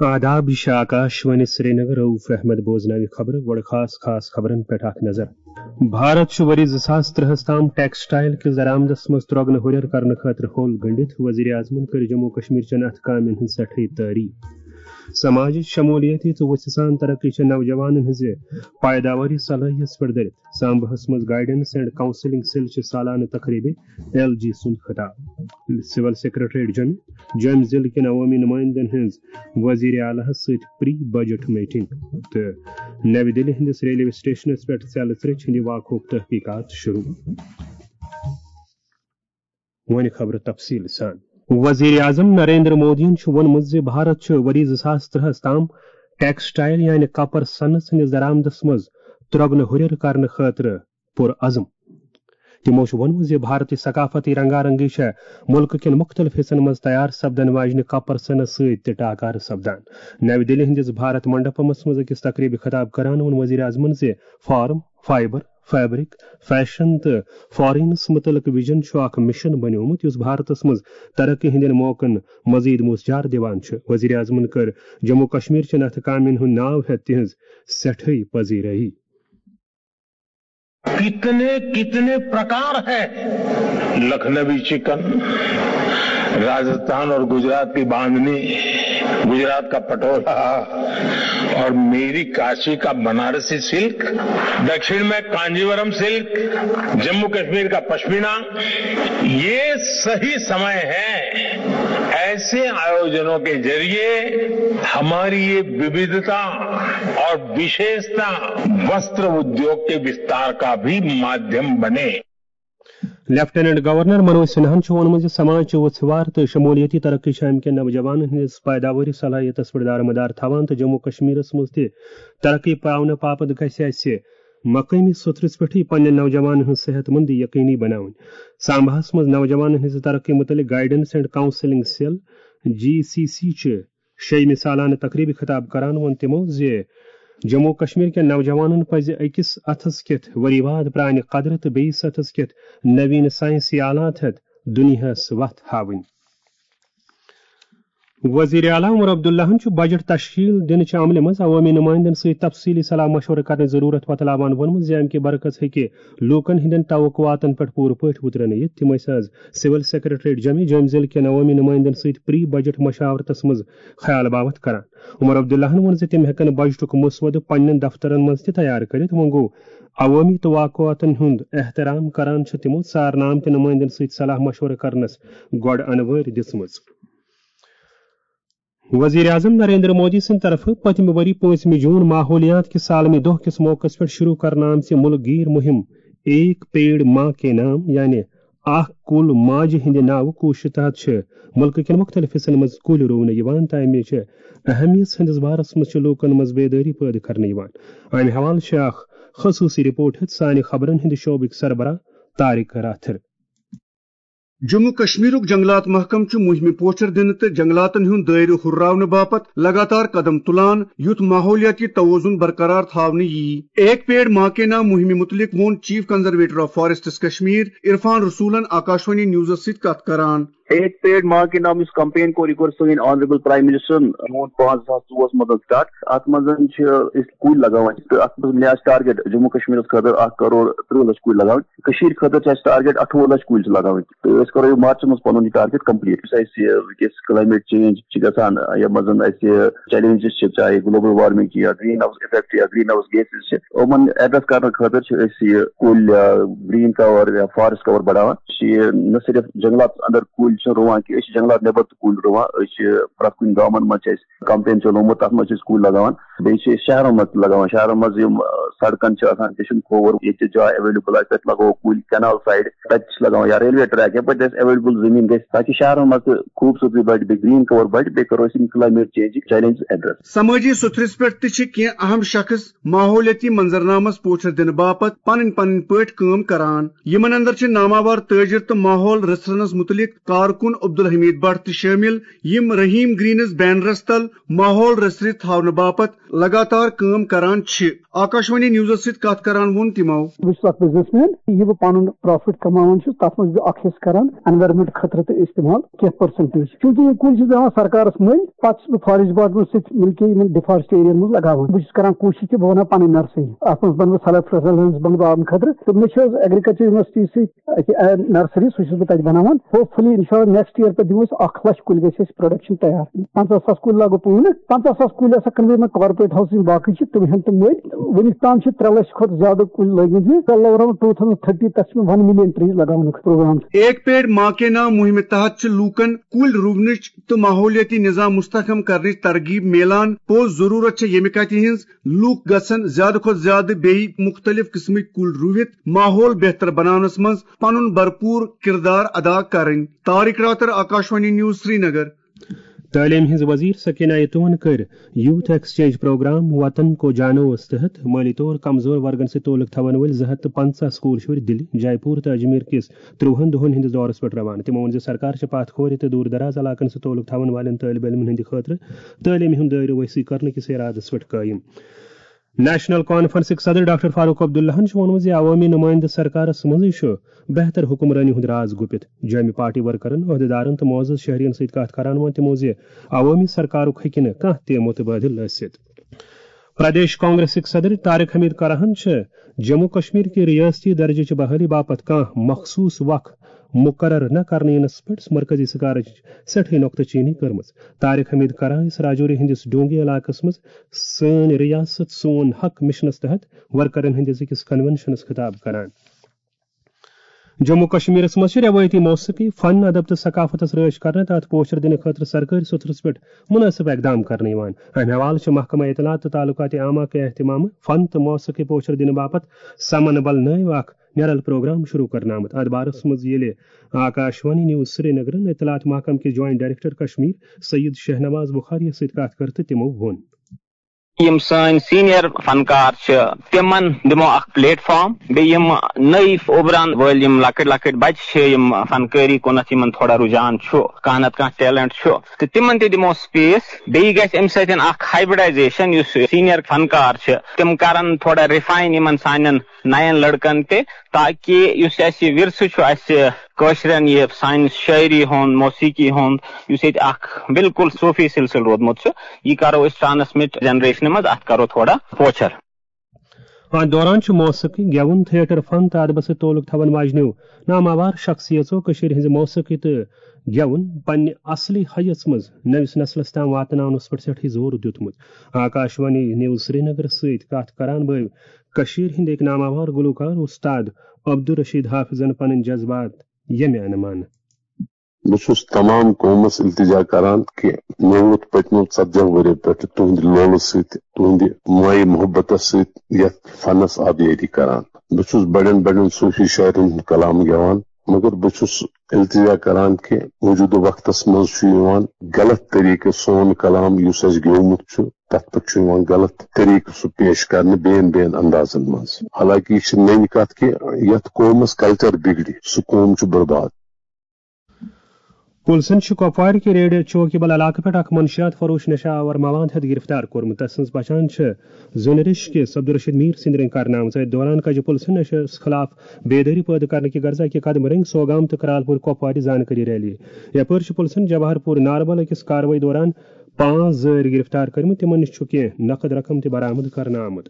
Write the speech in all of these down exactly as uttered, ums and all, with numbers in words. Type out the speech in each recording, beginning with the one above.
آداب، یہِ چھِ آکاش وانی سرینگر۔ رؤف احمد بوزناوِ خبرٕ۔ گۄڈٕ خاص خاص خبرن پٮ۪ٹھ اکھ نظر۔ بھارت چھُ ؤری زٕ ساس ترٛہَس تام ٹیکسٹائل کِس درآمدس منٛز ترٛۄگنہٕ ہُرٮ۪ر کرنہٕ خٲطرٕ ہوٚل گٔنٛڈِتھ۔ وزیر اعظمن کٔر جموں کشمیر چٮ۪ن اتھٕ کامٮ۪ن ہٕنٛز سٮ۪ٹھٕے تعریف۔ سماجٕچ شمولیت تہٕ وُژھِ سان ترقی چھےٚ نوجوانن ہٕنٛزِ پائیداواری صلٲحیتس پٮ۪ٹھ دٔرِتھ۔ سامبہس منٛز گائیڈنس اینڈ کاؤنسلنگ سیل چہِ سالانہٕ تقریبہِ ایل جی سُنٛد خطاب۔ سول سیکرٹریٹ جوٚمہِ، جوٚمہِ ضلعہٕ کٮ۪ن عوٲمی نمائندن ہٕنٛز وزیر اعلیٰ ہس سۭتۍ پری بجٹ میٹنگ۔ تہٕ نَوِ دِلہِ ہٕنٛدِس ریلوے سٹیشنس پٮ۪ٹھ ژٮ۪لہٕ ژریچ ہٕنٛدِ واقعُک تحقیقات شروع۔ وۄنۍ خبرٕ تفصیٖل سان۔ وزیر اعظم نریندر مودیَن چھُ ووٚنمُت زِ بھارت چھُ ؤری زٕ ساس ترٛہَس تام ٹیکسٹائل یعنی کپر سنس ہٕنٛدِس درآمدس منٛز ترٛۄگنہٕ ہُرٮ۪ر کرنہٕ خٲطرٕ پُرعزم۔ تِمو چھُ ووٚنمُت زِ بھارتی ثقافتی رنگا رنگی چھےٚ مُلکہٕ کٮ۪ن مُختٔلِف حصن منٛز تیار سپدن واجنہِ کپر سنس سۭتۍ تہِ ٹاکارٕ سپدان۔ نَوِ دِلہِ ہٕنٛدِس بھارت منڈپمس منٛز أکِس تقریبہِ خطاب کران ووٚن وزیر اعظمن زِ فارم، فائبر، فیبرک، فیشن تہٕ فارینس مُتعلق ویژن چھُ اکھ مشن بنیومُت یُس بھارتس منٛز ترقی ہٕنٛدٮ۪ن موقعن مزید موثر دِوان چھُ۔ وزیر اعظمن کٔر جموں کشمیر چٮ۪ن اتھٕ کامٮ۪ن ہُنٛد ناو ہٮ۪تھ تِہنٛز سٮ۪ٹھٕے پذیرٲیی۔ कितने कितने प्रकार है। लखनवी चिकन, राजस्थान और गुजरात की बांधनी, गुजरात का पटोला और मेरी काशी का बनारसी सिल्क, दक्षिण में कांजीवरम सिल्क, जम्मू कश्मीर का पश्मीना। ये सही समय है ऐसे आयोजनों के जरिए हमारी ये विविधता और विशेषता वस्त्र उद्योग के विस्तार का भी माध्यम बने। لیفٹیننٹ گورنر منوج سنہاہن چھُ ووٚنمُت زِ سماج چھُ وُژھوار تہٕ شمولیتی ترقی چھِ امہِ کٮ۪ن نوجوانن ہٕنٛدِس پٲداوٲری صلٲحیتس پٮ۪ٹھ دارمدار تھاوان تہٕ جموں کشمیرس منٛز تہِ ترقی پاونہٕ باپتھ گژھِ اسہِ مقٲمی سطحس پٮ۪ٹھٕے پننٮ۪ن نوجوانن ہٕنٛز صحت مندی یقینی بناوٕنۍ۔ سامباہس منٛز نوجوانن ہٕنٛزِ ترقی متعلق guidance and counselling cell, G C C, چہِ شیٚیِمہِ سالانہٕ تقریبہِ خطاب کران ووٚن تِمو زِ جموں کشمیر کٮ۪ن نوجوانن پزِ أکِس اتھس کٮ۪تھ ؤری واد پرانہِ قدرٕ تہٕ بیٚیِس اتھس کٮ۪تھ نویٖن ساینسی آلات ہٮ۪تھ دُنیاہس وتھ ہاوٕنۍ۔ وزیر اعلیٰ عمر عبداللہن چھُ بجٹ تشکیل دِنہٕ چہِ عملہِ منٛز عوٲمی نمائندن سۭتۍ تفصیلی صلاح مشورٕ کرنٕچ ضروٗرت وۄتلاوان ووٚنمُت زِ امہِ کہِ برکت ہیٚکہِ لوٗکن ہٕنٛدٮ۪ن توقعاتن پٮ۪ٹھ پوٗرٕ پٲٹھۍ وُترنہٕ یِتھ۔ تِم ٲسۍ آز سول سیکرٹریٹ جوٚمہِ، جوٚمہِ ضلعہٕ کٮ۪ن عوٲمی نمائندن سۭتۍ پری بجٹ مشاورتس منٛز خیال باوتھ کران۔ عمر عبداللہن ووٚن زِ تِم ہٮ۪کن بجٹُک مسودٕ پننٮ۪ن دفترن منٛز تہِ تیار کٔرِتھ۔ وۄنۍ گوٚو عوٲمی توقعاتن ہُنٛد احترام کران چھِ تِمو ژارنہٕ آمتٮ۪ن نمائندن سۭتۍ صلاح مشورٕ کرنس گۄڈٕ انوٲرۍ دِژمٕژ۔ وزیر اعظم نریندر مودی سٕنٛدِ طرفہٕ پٔتمہِ ؤری پٲنٛژمہِ جوٗن ماحولیات کِس عالمی دۄہ کِس موقعس پٮ۪ٹھ شروع کرنہٕ آمژِ مُلک گیر مُہِم ایک پیڑ ماں کے نام، یعنی اکھ کُل ماجہِ ہٕنٛدِ ناوٕ کوٗششہِ تحت چھِ مُلکہٕ کٮ۪ن مُختٔلِف حصن منٛز کُلۍ رُونہٕ یِوان تہٕ اَمہِ چھِ اہمیت ہٕنٛدِس بارس منٛز چھِ لوٗکن منٛز بیدٲری پٲدٕ کرنہٕ یِوان۔ اَمہِ حوالہٕ چھِ اکھ خصوٗصی رپورٹ ہٮ۪تھ سانہِ خبرن ہٕنٛدِ شعبٕکۍ سربراہ طارق راتھر۔ جموں کشمیرُک جنگلات محکمہٕ چھُ مُہِمہِ پوچھر دِنہٕ تہٕ جنگلاتن ہُنٛد دٲیرٕ ہُرراونہٕ باپتھ لگاتار قدم تُلان، یُتھ ماحولیاتی توازن برقرار تھاونہٕ یِیہِ۔ ایک پیڑ ماں کے نام مُہِمہِ مُتعلِق ووٚن chief conservator of forests Kashmir Irfan رسولن آکاشوانی نیوزس سۭتۍ کتھ کران۔ ایک پیڑ ماں کے نام یُس کمپین کوٚر، یہِ کوٚر سٲنۍ آنریبل پرایم منسٹرن جوٗن پانٛژھ زٕ ساس ژوٚوُہس منٛز سٹارٹ۔ اتھ منٛز چھِ أسۍ کُلۍ لگاوان تہٕ اتھ منٛز مےٚ آسہِ ٹارگیٹ جموں کشمیرس خٲطرٕ اکھ کرور ترٕٛہ لچھ کُلۍ لگاوٕنۍ۔ کٔشیٖرِ خٲطرٕ چھِ اَسہِ ٹارگیٹ اَٹھووُہ لَچھ کُلۍ چھِ لَگاوٕنۍ۔ تہٕ أسۍ کَرو یہِ مارچَس منٛز پَنُن یہِ ٹارگیٹ کمپلیٖٹ۔ یُس اَسہِ، یہِ، وٕنکیٚس کلایمیٹ چینج چھِ گژھان، یَتھ منٛز اَسہِ چیلنجز چھِ، چاہے گلوبل وارمنگ چھِ یا گرین ہاؤس افیکٹ یا گرین ہاؤس گیسز چھِ، یِمَن ایڈریس کرنہٕ خٲطرٕ چھِ أسۍ یہِ کُلۍ، یا گرین کور یا فارسٹ کور بڑاوان۔ چھِ یہِ نہ صرف جنگلات اندر کُلۍ چھِ رُوان کینٛہہ، أسۍ چھِ جنگلات نٮ۪بر تہِ کُلۍ رُوان۔ أسۍ چھِ پرٛٮ۪تھ کُنہِ گامَن منٛز چھِ اَسہِ کمپین چلومُت، تَتھ منٛز چھِ أسۍ کُلۍ لگاوان۔ بیٚیہِ چھِ أسۍ شہرن منٛز تہِ لگاوان۔ شہرن منٛز یِم، آ، سڑکن چھِ آسان، تہِ چھُنہٕ کھووُر، ییٚتہِ چھِ جاے ایویلیبل آسہِ، تَتہِ لگاوو کُلۍ، کینال سایڈ، تَتہِ چھِ لگاوان یا ریلوے ٹریک، یَپٲرۍ تہِ اَسہِ ایویلیبل زٔمیٖن گژھِ، تاکہِ شہرن منٛز تہِ خوٗبصوٗرتی بڑِ، بیٚیہِ گرین کور بڑِ، بیٚیہِ کرو أسۍ یِم کلایمیٹ چینجٕکۍ چیلنجز ایڈریس۔ سمٲجی سُتھرِس پٮ۪ٹھ تہِ چھِ کینٛہہ اہم شخص ماحولیٲتی منظرنامس پوچھر دِنہٕ باپتھ پنٕنۍ پنٕنۍ پٲٹھۍ کٲم کران۔ یِمن اندر چھِ ناماوار تٲجر تہٕ ماحول رژھرنس مُتعلق کارکُن عبدالحمید بٹ تہِ شٲمِل، یِم رحیم گرینز بینرس تل ماحول رژھرِ تھاونہٕ باپتھ لگاتار کٲم کران چھِ۔ آکاشوانی نیوزس سۭتۍ کتھ کران ووٚن تِمو۔ بہٕ چھُس اکھ بزنس مین، یہِ بہٕ پنُن پروفٹ کماوان چھُس، تتھ منٛز چھُس بہٕ اکھ حصہٕ کران انوائرمنٹ خٲطرٕ تہٕ استعمال کینٛہہ پرسنٹیج، چونکہ یہِ کُلۍ چھِ دِوان سرکارس مٔلۍ، پتہٕ چھُس بہٕ فاریسٹ ڈپارٹمنٹ سۭتۍ مِل کے یِمن ڈیفارسٹ ایریاہن منٛز لگاوان۔ بہٕ چھُس کران کوٗشش کہِ بہٕ بناو پنٕنۍ نرسری، اتھ منٛز بنہٕ بہٕ سیلف ریلیئنس بنہٕ بہٕ آمہٕ خٲطرٕ۔ تہٕ مےٚ چھِ حظ ایگریکلچر یونیورسٹی سۭتۍ اکہِ نرسری، سُہ چھُس بہٕ تتہِ بناوان۔ ہوپ فُلی انشاءاللہ نیکسٹ ایئر پٮ۪ٹھ دِمو أسۍ اکھ لچھ کُلۍ گژھِ اَسہِ پروڈکشن تیار۔ پنٛژاہ ساس کُلۍ لاگو پانہٕ، پنٛژاہ ساس کُلۍ ہسا کٕنوے مےٚ کارپوریٹ ہاوسز، باقٕے چھِ تِم ہن تہٕ مٔلۍ۔ وُنیُک تام چھِ ترٛےٚ لچھ کھۄتہٕ زیادٕ کُلۍ لٲگمٕتۍ مےٚ۔ انشاءاللہ around two thousand thirty تک چھِ مےٚ ون ملین ٹریز لگاونُک پروگرام۔ ایک پیڑ ماں کے نام مہمہِ تحت چھِ لوٗکن کُلۍ رُونٕچ تہٕ ماحولیٲتی نظام مستحکم کرنٕچ ترغیب میلان۔ پوٚز ضروٗرت چھےٚ ییٚمہِ کتھِ ہٕنٛز، لوٗکھ گژھن زیادٕ کھۄتہٕ زیادٕ بیٚیہِ مُختٔلِف قٕسمٕکۍ کُلۍ رُوِتھ ماحول بہتر بناونس منٛز پنُن بھرپوٗر کردار ادا کرٕنۍ۔ طارق راتر، آکاشوانی نیوز، سرینگر۔ تعلیٖم ہٕنٛز وزیر سکینہ ایتوہن کٔر یوتھ ایکسچینج پروگرام وطن کو جانوس تحت مٲلی طور کمزور ورگن سۭتۍ تعلق تھاون وٲلۍ زٕ ہتھ تہٕ پنٛژاہ سکوٗل شُرۍ دِلہِ، جے پوٗر تہٕ اجمیر کِس ترٛوہن دۄہن ہٕنٛدِس دورس پٮ۪ٹھ روانہٕ۔ تِمو ووٚن زِ سرکار چھِ پتھ کھورِ تہٕ دوٗر دراز علاقن سۭتۍ تعلق تھاون والٮ۪ن طٲلب علمن ہٕنٛدِ خٲطرٕ تعلیٖم ہُنٛد دٲیرٕ وسیع کرنہٕ کِس ارادس پٮ۪ٹھ قٲیِم۔ نیشنل کانفرنسٕکۍ صدر ڈاکٹر فاروق عبداللہن چھُ ووٚنمُت زِ عوٲمی نُمٲیندٕ سرکارس منٛزٕے چھُ بہتر حکمرٲنی ہُنٛد راز گُپِتھ۔ جامع پارٹی ورکرن، عہدیدارن تہٕ معزز شہرین سۭتۍ کتھ کران ووٚن تِمو زِ عوٲمی سرکارُک ہیٚکہِ نہٕ کانٛہہ تہِ متبادل ٲسِتھ۔ پردیش کانگریسٕکۍ صدر طارق حمید کراہن چھِ جموں کشمیر کہِ ریاستی درجٕچ بحالی باپتھ کانٛہہ مخصوص وق مقرر نہ کرنہٕ یِنس پٮ۪ٹھ مرکزی سرکارٕچ سٮ۪ٹھٕے نۄقطہٕ چینی کٔرمٕژ۔ طارق حمید کراہ یُس راجوری ہٕنٛدِس ڈونگی علاقس منٛز سٲنۍ ریاست سون حق مشنس تحت ورکرن ہٕنٛدِس أکِس کنونشنس خطاب کران۔ جموں کشمیرس منٛز چھِ رٮ۪وٲیتی موسیقی، فن، ادب تہٕ ثقافتس رٲچھ کرنہٕ تہٕ اتھ پوچھر دِنہٕ خٲطرٕ سرکٲرۍ سوٚتھرس پٮ۪ٹھ مناسب اقدام کرنہٕ یِوان۔ امہِ حوالہٕ چھِ محکمہ اطلاعات تہٕ تعلقات عامہ کہِ اہتمامہٕ فن تہٕ موسیقی پوچھر دِنہٕ باپتھ سمن بل نٲوۍ اکھ نیرل پروگرام شروع کرنہٕ آمُت۔ اتھ بارس منٛز ییٚلہِ آکاشوانی نیوز سرینگرن اطلاعات محکمہٕ کِس جوائنٹ ڈائریکٹر کشمیر سید شہنواز بخاری یَس سۭتۍ کتھ کٔر تہٕ تِمو ووٚن۔ یِم سٲنۍ سینئر فنکار چھِ، تِمن دِمو اکھ پلیٹ فارم، بیٚیہِ یِم نٔوۍ اُبران وٲلۍ یِم لۄکٕٹۍ لۄکٕٹۍ بچہِ چھِ، یِم فنکٲری کُنتھ یِمن تھوڑا رُجحان چھُ، کانٛہہ نتہٕ کانٛہہ ٹیلنٹ چھُ، تہٕ تِمن تہِ دِمو سپیس۔ بیٚیہِ گژھِ امہِ سۭتۍ اکھ ہائبرڈائزیشن، یُس سینئر فنکار چھِ، تِم کرن تھوڑا ریفائن یِمن سانٮ۪ن نَین لٔڑکَن تہِ، تاکہِ یُس اَسہِ یہِ وِرثہٕ چھُ، اَسہِ کٲشرٮ۪ن یہِ سانہِ شٲعری ہُنٛد، موسیقی ہُنٛد، یُس ییٚتہِ اکھ بالکل صوٗفی سلسلہٕ روٗدمُت چھُ، یہِ کرو أسۍ ٹرانسمٹ جنریشنہِ منٛز، اَتھ کرو تھوڑا پوچھر۔ اتھ دوران چھُ موسیقی، گٮ۪وُن، تھیٹر فن تہٕ ادبس سۭتۍ تعلق تھاون واجنیو ناماوار شخصیژو کٔشیٖرِ ہٕنٛزِ موسیقی تہٕ گٮ۪وُن پننہِ اصلی حیژ منٛز نٔوِس نسلس تام واتناونس پٮ۪ٹھ سٮ۪ٹھٕے زور دیُتمُت۔ آکاشوانی نیوز سرینگرس سۭتۍ کتھ کران بٲوۍ کٔشیٖرِ ہٕنٛدۍ أکۍ ناماوار گلوکار استاد عبدالرشید حافظن پنٕنۍ جذبات ییٚمہِ انہٕ منہٕ۔ بہٕ چھُس تمام قومس التجا کران کہِ مےٚ ووت پٔتمیو ژتجی ؤریو پٮ۪ٹھ تُہنٛدِ لولہٕ سۭتۍ، تُہنٛدِ مایہِ محبتس سۭتۍ یتھ فنس آبیٲری کران۔ بہٕ چھُس بڑٮ۪ن بڑٮ۪ن صوفی شاعرن ہُنٛد کلام گٮ۪وان، مگر بہٕ چھُس التجا کران کہِ موجودٕ وقتس منٛز چھُ یِوان غلط طریقہٕ سون کلام یُس اَسہِ گیومُت چھُ، تتھ پٮ۪ٹھ چھُ یِوان غلط طریقہٕ سُہ پیش کرنہٕ بیٚین بیٚین اندازن منٛز۔ حالانکہ یہِ چھِ نٔنۍ کتھ کہِ یتھ قومس کلچر بگڑِ، سُہ قوم چھُ برباد۔ پُلسن چھُ کۄپوارِ کہِ ریڈ چوکیبل علاقہٕ پٮ۪ٹھ اکھ منشیات فروش نشہ آور مواد ہٮ۪تھ گرفتار کوٚرمُت۔ تس سٕنٛز پہچان چھِ زُنرِش کِس عبدالرشید میٖر سٕنٛدِ رٔنٛگۍ کرنہٕ آمٕژ۔ أتھۍ دوران کجہِ پُلسن نشس خلاف بیدٲری پٲدٕ کرنہٕ کہِ غرضہٕ اکہِ قدمہٕ رٔنگۍ سوگام تہٕ کرالپور کۄپوارِ زانکٲری ریلی۔ یپٲرۍ چھِ پُلسن جواہر پور ناربل أکِس کاروٲیی دوران پانٛژھ زٲرۍ گرفتار کٔرمٕتۍ، تِمن نِش چھُ کینٛہہ نقد رقم تہِ برآمد کرنہٕ آمُت۔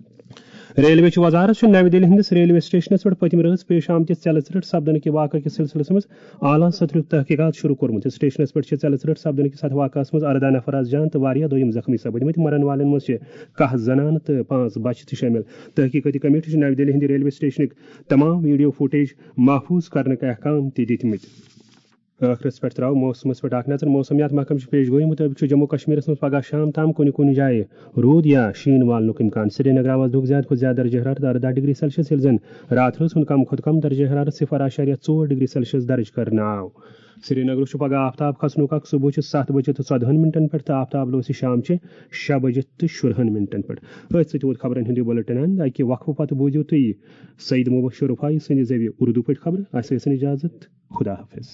ریلوے چہِ وزارت چھُ نَوِ دِلہِ ہٕنٛدِس ریلوے سٹیشنَس پٮ۪ٹھ پٔتمہِ رٲژ پیش آمتِس ژیلہٕ ژریٹ سپدنہٕ کہِ واقعہٕ کِس سلسلس منٛز اعلیٰ سطحُک تحقیقات شروع کوٚرمُت۔ سٹیشنَس پٮ۪ٹھ چھِ ژیلہٕ ژریٹ سپدنہٕ کِس اَتھ واقعہَس منٛز اَرداہ نفر از جان تہٕ واریاہ دوٚیِم زخمی سپٕدمٕتۍ۔ مَرَن والٮ۪ن منٛز چھِ کاہ زنانہٕ تہٕ پانٛژھ بچہِ تہِ شٲمِل۔ تحقیقاتی کمیٹی چھِ نَوِ دِلہِ ہٕنٛدِ ریلوے سٹیشنٕکۍ تمام ویڈیو فوٹیج محفوٗظ کرنٕکۍ احکام تہِ دِتمٕتۍ۔ ٲخرس پٮ۪ٹھ ترٛاو موسمس پٮ۪ٹھ اکھ نظر۔ موسمیات محکمہٕ چھِ پیش گویی مُطٲبِق چھُ جموں کشمیرس منٛز پگہہ شام تام کُنہِ کُنہِ جایہِ روٗد یا شیٖن والنُک امکان۔ سرینگرٕ آواز دُک زیادٕ کھۄتہٕ زیادٕ درجہ حرارت ارداہ ڈگری سیلسیس، ییٚلہِ زن راتھ رٲژ ہُنٛد کم کھۄتہٕ کم درجہ حرارت صفر اعشاریہ ژور ڈگری سیلسیس درج کرنہٕ آو۔ سرینگرس چھُ پگہہ آفتاب کھسنُک وقت۔ صبحٕچہِ ستھ بجے تہٕ ژۄدہن منٹن پٮ۪ٹھ تہٕ آفتاب لوسہِ شامچہِ شےٚ بجے تہٕ شُرہن منٹن پٮ۪ٹھ۔ أتھۍ سۭتۍ ووت خبرن ہُنٛد یہِ بُلٹن اند۔ اکہِ وقفہٕ پتہٕ بوٗزِو تُہۍ سعید مبشر رفاعی سٕنٛدِ زیوِ اردو پٲٹھۍ خبرٕ۔ اسہِ ٲسِن اجازت۔ خدا حافظ۔